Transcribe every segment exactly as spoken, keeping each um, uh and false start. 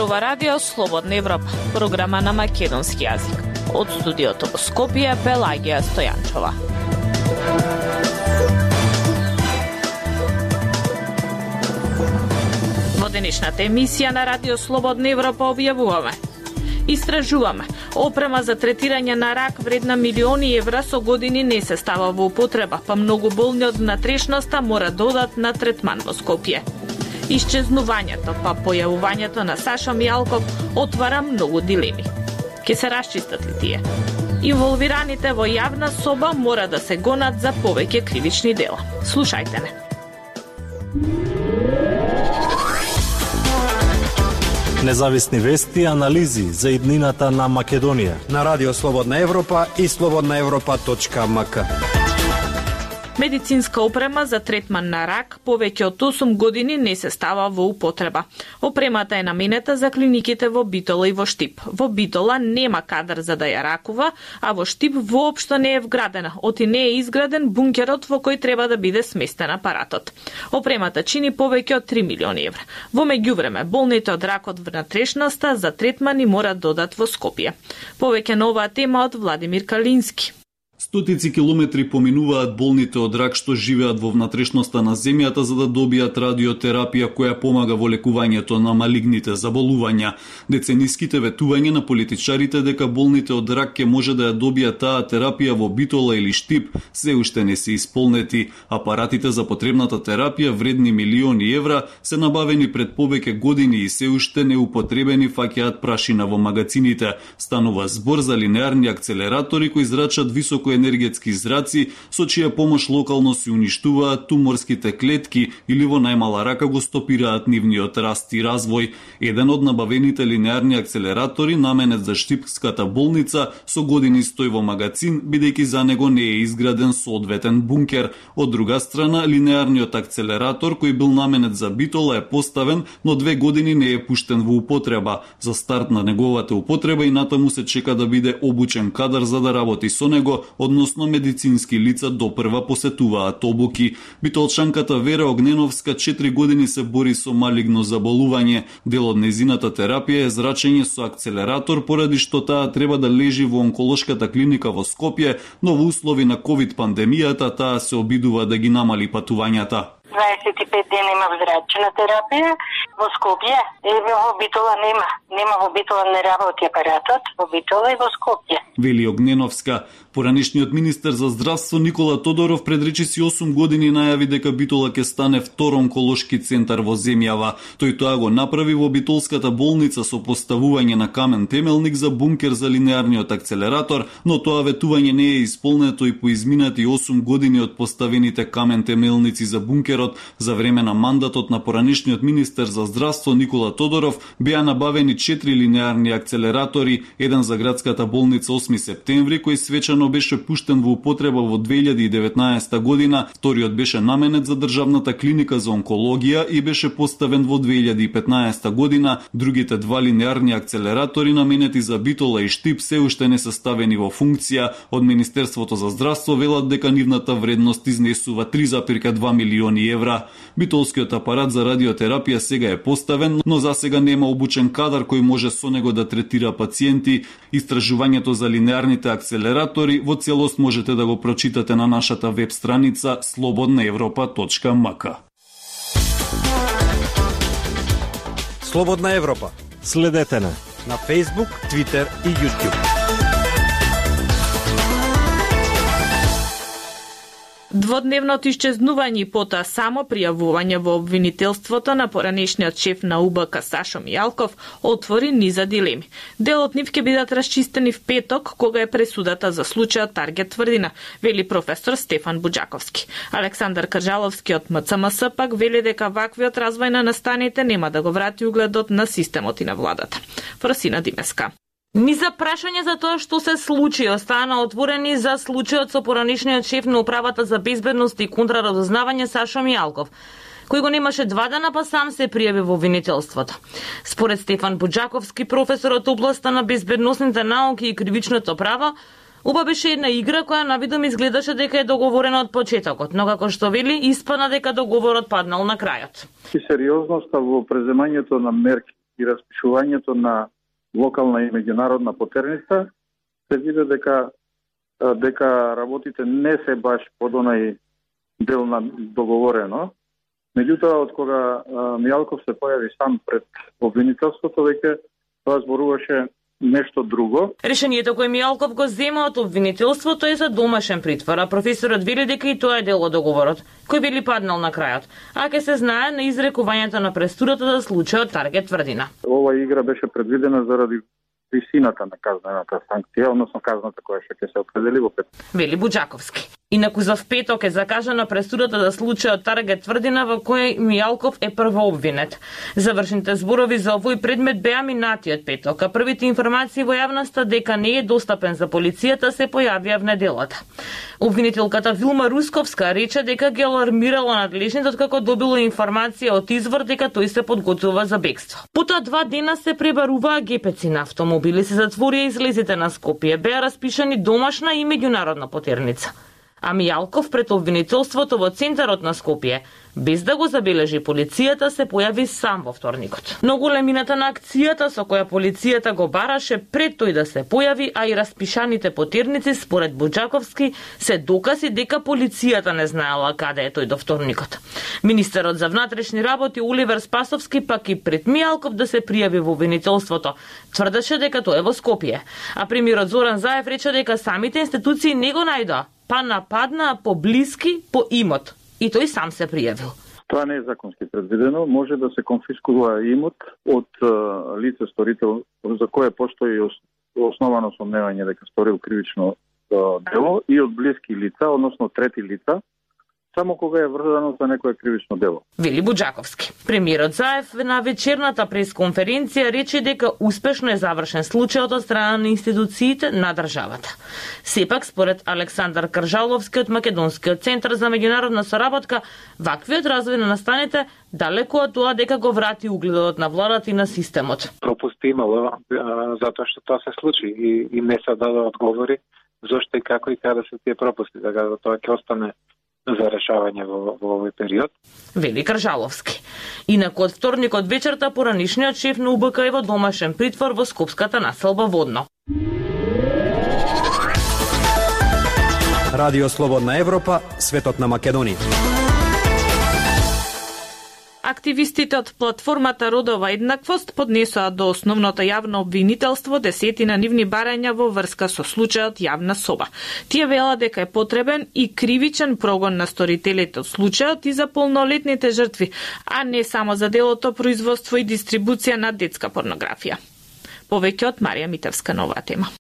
зборува Радио Слободна Европа, програма на македонски јазик. Од студиото во Скопје, Пелагија Стојанчова. Во денешната емисија на Радио Слободна Европа објавуваме: истражуваме. Опрема за третирање на рак вредна милиони евра со години не се става во употреба, па многу болни од внатрешноста мора додат на третман во Скопје. Исчезнувањето, па појавувањето на Сашо Мијалков отвара многу дилеми. Ке се расчистат ли тие? Инволвираните во јавна соба мора да се гонат за повеќе кривични дела. Слушајте не. Независни вести и анализи за иднината на Македонија на Радио Слободна Европа и слободна европа точка ем ка. Медицинска опрема за третман на рак повеќе од осум години не се става во употреба. Опремата е наменета за клиниките во Битола и во Штип. Во Битола нема кадар за да ја ракува, а во Штип воопшто не е вградена, оти не е изграден бункерот во кој треба да биде сместен апаратот. Опремата чини повеќе од три милиони евра. Во меѓувреме, болните од рак од внатрешноста за третман и мора додат во Скопје. Повеќе на оваа тема од Владимир Калински. Стотици километри поминуваат болните од рак што живеат во внатрешноста на земјата за да добијат радиотерапија која помага во лекувањето на малигните заболувања. Децениските ветувања на политичарите дека болните од рак ќе може да ја добијат таа терапија во Битола или Штип се уште не се исполнети. Апаратите за потребната терапија вредни милиони евра се набавени пред повеќе години и се уште неупотребени фаќаат прашина во магазините. Станува збор за линеарни акцелератори кои зрачат високо енергетски зраци, со чија помош локално се уништуваат туморските клетки или во најмала рака го стопираат нивниот раст и развој. Еден од набавените линеарни акцелератори, наменет за Штипската болница, со години стои во магазин, бидејќи за него не е изграден соодветен бункер. Од друга страна, линеарниот акцелератор, кој бил наменет за Битола, е поставен, но две години не е пуштен во употреба. За старт на неговата употреба и натаму се чека да биде обучен кадар за да работи со него, односно медицински лица допрва посетуваат обуки. Битолчанката Вера Огненовска четири години се бори со малигно заболување. Дел од незината терапија е зрачење со акцелератор, поради што таа треба да лежи во онколошката клиника во Скопје, но во услови на ковид пандемијата таа се обидува да ги намали патувањата. дваесет и пет дена имам зрачна терапија во Скопје, и во Битола нема. Нема во Битола, не работи апаратот, во Битола и во Скопје. Вели Огненовска. Поранешниот министер за здравство Никола Тодоров пред речиси осум години најави дека Битола ќе стане втор онколошки центар во земјава. Тој тоа го направи во Битолската болница со поставување на камен темелник за бункер за линеарниот акцелератор, но тоа ветување не е исполнето и по изминати осум години од поставените камен темелници за бункерот. За време на мандатот на поранешниот министер за здравство Никола Тодоров беа набавени четири линеарни акцелератори, еден за градската болница осми септември, кој свечано беше пуштен во употреба во две илјади и деветнаесета година, вториот беше наменет за државната клиника за онкологија и беше поставен во две илјади и петнаесета година. Другите два линеарни акцелератори наменети за Битола и Штип се уште не се ставени во функција. Од Министерството за здравство велат дека нивната вредност изнесува три запирка два милиони евра. Битолскиот апарат за радиотерапија сега е поставен, но за сега нема обучен кадар кој може со него да третира пациенти. Истражувањето за линеарните акцелератори во целост можете да го прочитате на нашата веб страница слободна европа точка ем ка. Слободна Европа. Следете на на Facebook, Twitter и YouTube. Дводневното исчезнување и потоа само пријавување во обвинителството на поранешниот шеф на У Б К Сашо Мијалков отвори низа дилеми. Дел од нив ќе бидат расчистени в петок, кога е пресудата за случајот Таргет Тврдина, вели професор Стефан Буџаковски. Александар Кажаловски од М Ц М С пак вели дека ваквиот развој на настаните нема да го врати угледот на системот и на владата. Фросина Димеска. Низа прашање за тоа што се случи остана отворени за случајот со поранешниот шеф на управата за безбедност и контраразузнавање Сашо Мијалков, кој го немаше два дана па сам се пријави во обвинителството. Според Стефан Буџаковски, професор од областа на безбедносните науки и кривичното право, Уба беше една игра која навидом изгледаше дека е договорена од почетокот, но како што вели, испадна дека договорот паднал на крајот. И сериозноста во преземањето на мерки и распишувањето на локална и меѓународна потерница, се види дека дека работите не се баш под онај дел на договорено. Меѓутоа, од кога Мијалков се појави сам пред обвинителството, веќе тоа зборуваше нешто друго. Решението кое Мијалков го зема од обвинителството е за домашен притвор, а професорот вели дека и тоа е дел од договорот, кој били паднал на крајот, а ке се знае на изрекувањето на пресудата за случајот Таргет Тврдина. Ова игра беше предвидена заради висината на казнената санкција, односно казната која ќе се определи во петок. Вели Буџаковски. Инаку за петок е закажана пресудата за случајот Таргет Тврдина во кој Мијалков е првообвинет. Завршните зборови за овој предмет беа минатиот петок, а првите информации во јавноста дека не е достапен за полицијата се појавија в неделата. Обвинителката Вилма Русковска рече дека ги алармирала надлежните откако добила информација од извор дека тој се подготвува за бегство. Потоа два дена се пребаруваа гепеци на автомобили, се затворија излезите на Скопје, беа распишани домашна и меѓународна потерница. А Мијалков пред обвинителството во центарот на Скопје, без да го забележи полицијата, се појави сам во вторникот. Но големината на акцијата со која полицијата го бараше пред тој да се појави, а и распишаните потерници, според Буџаковски, се докази дека полицијата не знаела каде е тој до вторникот. Министерот за внатрешни работи Оливер Спасовски пак и пред Мијалков да се пријави во обвинителството тврдеше дека тој е во Скопје, а премиерот Зоран Заев рече дека самите институции не го најдоа, па нападнаа поблиски по имот и тој сам се пријавил. Тоа не е законски предвидено, може да се конфискува имот од лице сторител за кое постои основано сомневање дека сторил кривично дело и од блиски лица, односно трети лица, само кога е врзано за некое кривично дело. Вели Буџаковски. Премиерот Заев на вечерната пресконференција рече дека успешно е завршен случајот од страна на институциите на државата. Сепак, според Александар Кржаловски од Македонскиот центар за меѓународна соработка, ваквиот развој на настаните далеку од тоа дека го врати угледот на владата и на системот. Пропусти имало затоа што тоа се случи и, и не се даде одговори зошто и како и каде се тие пропусти, така да тоа ќе остане за решавање во, во овој период. Вели Кржаловски. Инаку од вторникот вечерта поранишниот шеф на У Б К е во домашен притвор во скопската населба Водно. Радио Слободна Европа, светот на Македонија. Активистите од платформата Родова еднаквост поднесоа до основното јавно обвинителство десетина нивни барања во врска со случајот Јавна соба. Тие велат дека е потребен и кривичен прогон на сторителите од случајот и за полнолетните жртви, а не само за делото производство и дистрибуција на детска порнографија. Повеќе од Марија Митевска на оваа тема.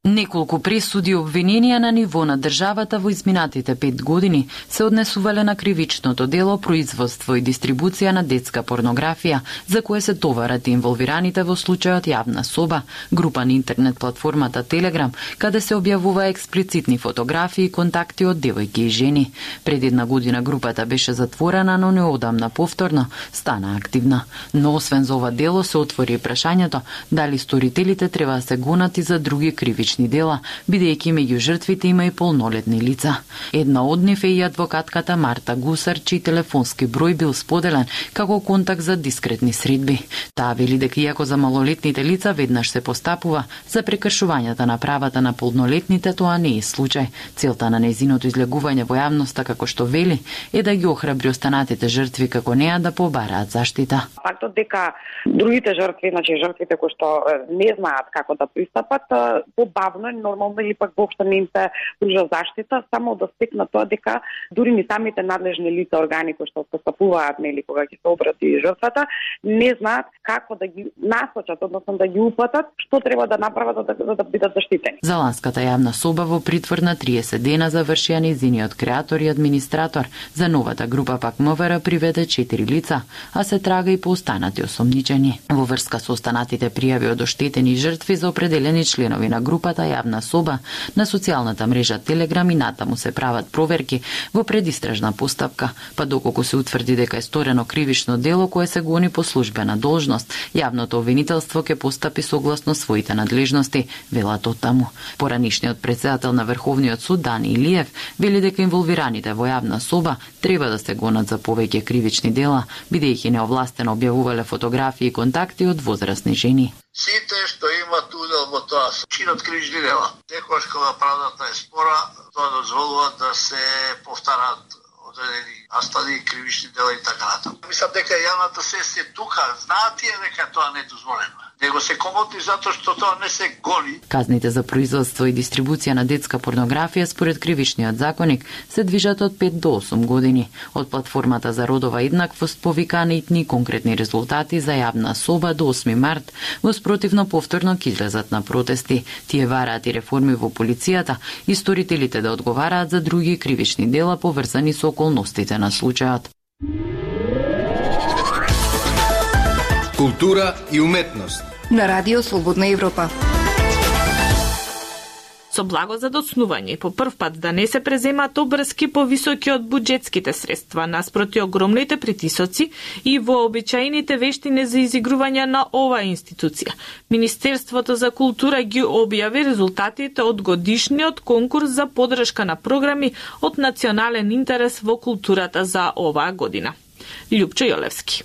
Неколку пресуди и обвиненија на ниво на државата во изминатите пет години се однесувале на кривичното дело производство и дистрибуција на детска порнографија, за кое се товарат инволвираните во случајот Јавна соба, група на интернет платформата Телеграм, каде се објавува експлицитни фотографии и контакти од девојки и жени. Пред една година групата беше затворена, но неодамна повторно стана активна. Но освен за ова дело се отвори прашањето дали сторителите треба да се гонат и за други кривични дела, бидејќи меѓу жртвите има и полнолетни лица. Една од нив е и адвокатката Марта Гусар, чиј телефонски број бил споделен како контакт за дискретни средби. Таа вели дека иако за малолетните лица веднаш се постапува, за прекршувањата на правата на полнолетните тоа не е случај. Целта на нејзиното излегување во јавноста, како што вели, е да ги охрабри останатите жртви како неа да побараат заштита. Фактот дека другите жртви, значи жртвите кои што не знаат како да пристапат, побавно и нормално или пак воопшто не им се пружа заштита, само да стекнат тоа дека дури ни самите надлежни лица, органи кои што постапуваат, нели, кога ќе се обрати жртвата, не знаат како да ги насочат, односно да ги упатат, што треба да направат за да, да бидат заштитени. За ланската Јавна соба во притвор на триесет дена завршија нејзиниот креатор и администратор. За новата група пак МВР приведе четири лица, а се трага и по останати осомничени. Во врска со останатите пријави од оштетени жртви за определени членови на група групата Јавна соба на социјалната мрежа Телеграм и натаму се прават проверки во предистражна постапка, па доколку се утврди дека е сторено кривично дело кое се гони по службена должност, јавното обвинителство ќе постапи согласно своите надлежности, велат оттаму. Поранишниот председател на Врховниот суд Дани Илиев вели дека инволвираните во Јавна соба треба да се гонат за повеќе кривични дела, бидејќи неовластено објавувале фотографии и контакти од возрастни жени. Сите што имат удел во тоа чинот кривични дела. Секогаш кога правдата е спора, тоа дозволува да се повтарат одредени настани, кривични дела и така натаму. Мислам дека јавната сесија тука знаат тие дека тоа не е дозволено. Него се комоти затоа што тоа не се гони. Казните за производство и дистрибуција на детска порнографија според кривичниот законник се движат од пет до осум години. Од платформата за родова еднаквост повикани итни конкретни резултати за Јавна соба до осми март, во спротивно повторно ќе излезат на протести. Тие вараат и реформи во полицијата и сторителите да одговараат за други кривични дела поврзани со околностите на случајот. Култура и уметност на Радио Слободна Европа. Со благо за доцнување и по прв пат да не се преземаат обврски повисоки од буџетските средства наспроти огромните притисоци и вообичаените вештини за изигрување на оваа институција. Министерството за култура ги објави резултатите од годишниот конкурс за поддршка на програми од национален интерес во културата за оваа година. Љупчо Јолевски.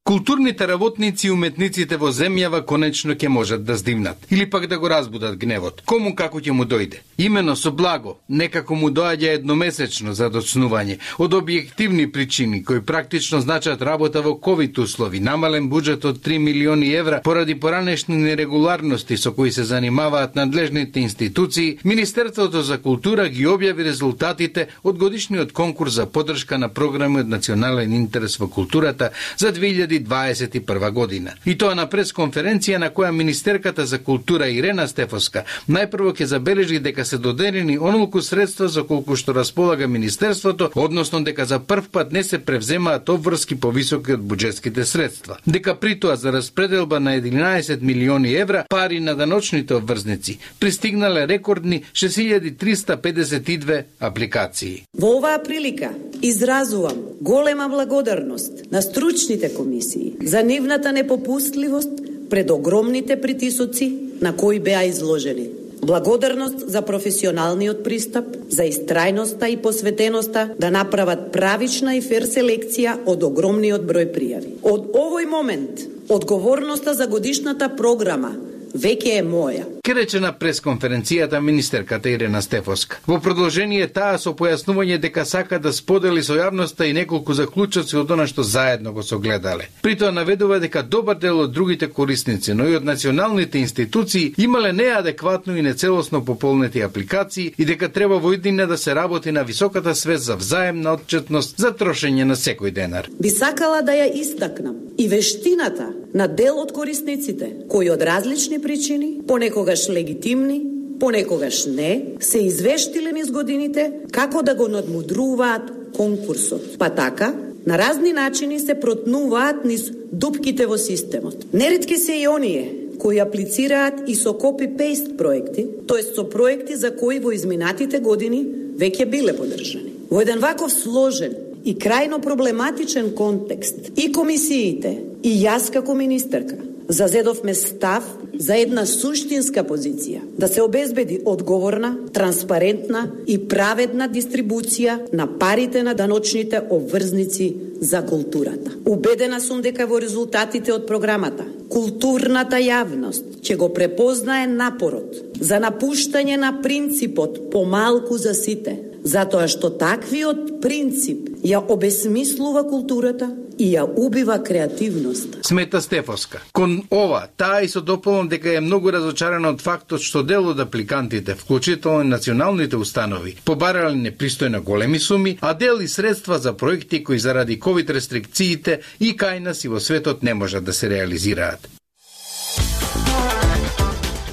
Културните работници и уметниците во земјава конечно ќе можат да здимнат или пак да го разбудат гневот. Кому како ќе му дојде? Имено со благо, некако му доаѓа едномесечно за доцнување од објективни причини кои практично значат работа во ковид услови, намален буџет од три милиони евра поради поранешни нерегуларности со кои се занимаваат надлежните институции. Министерството за култура ги објави резултатите од годишниот конкурс за поддршка на програми од национален интерес во културата за две илјади дваесет и прва година. И тоа на пресконференција на која министерката за култура Ирена Стефоска најпрво ќе забележи дека се доделени онолку средства за колку што располага министерството, односно дека за прв пат не се превземаат обврски повисоки од буџетските средства. Дека при тоа за распределба на единаесет милиони евра пари на даночните обврзници пристигнале рекордни шест илјади триста педесет и две апликации. Во оваа прилика изразувам голема благодарност на стручните комисии за нивната непопустливост пред огромните притисоци на кои беа изложени. Благодарност за професионалниот пристап, за истрајноста и посветеноста да направат правична и фер селекција од огромниот број пријави. Од овој момент, одговорноста за годишната програма веќе е моја. Ке рече на пресконференцијата министерката Ирена Стефоска. Во продолжение таа со појаснување дека сака да сподели со јавноста и неколку заклучоци од она што заедно го согледале. При тоа наведува дека добар дел од другите корисници, но и од националните институции имале неадекватно и нецелосно пополнети апликации и дека треба во иднина да се работи на високата свест за взаемна отчетност за трошење на секој денар. Би сакала да ја истакнам и вештината на дел од корисниците кои од различни причини, понекогаш легитимни, понекогаш не, се извештиле низ годините како да го надмудруваат конкурсот. Па така, на разни начини се протнуваат низ дупките во системот. Неретки се и оние кои аплицираат и со копи-пейст проекти, тоест со проекти за кои во изминатите години веќе биле поддржани. Во еден ваков сложен и крајно проблематичен контекст и комисиите, и јас како министерка зазедовме став за една суштинска позиција, да се обезбеди одговорна, транспарентна и праведна дистрибуција на парите на даночните обврзници за културата. Убедена сум дека во резултатите од програмата културната јавност ќе го препознае напорот за напуштање на принципот помалку за сите, затоа што таквиот принцип ја обесмислува културата и ја убива креативноста. Смета Стефоска. Кон ова, таа и со дополнам дека е многу разочарана од фактот што дел од апликантите, вклучително и националните установи, побарале непристојно големи суми, а дел и средства за проекти кои заради ковид рестрикциите и кај нас и во светот не можат да се реализираат.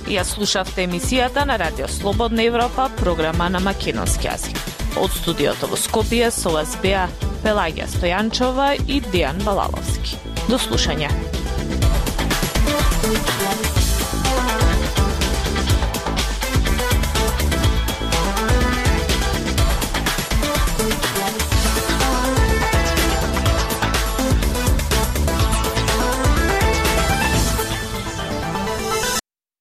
Ја слушавте емисијата на Радио Слободна Европа, програма на македонски јазик. Од студиото во Скопје со вас беа Пелагија Стојанчова и Дејан Балаловски. До слушање.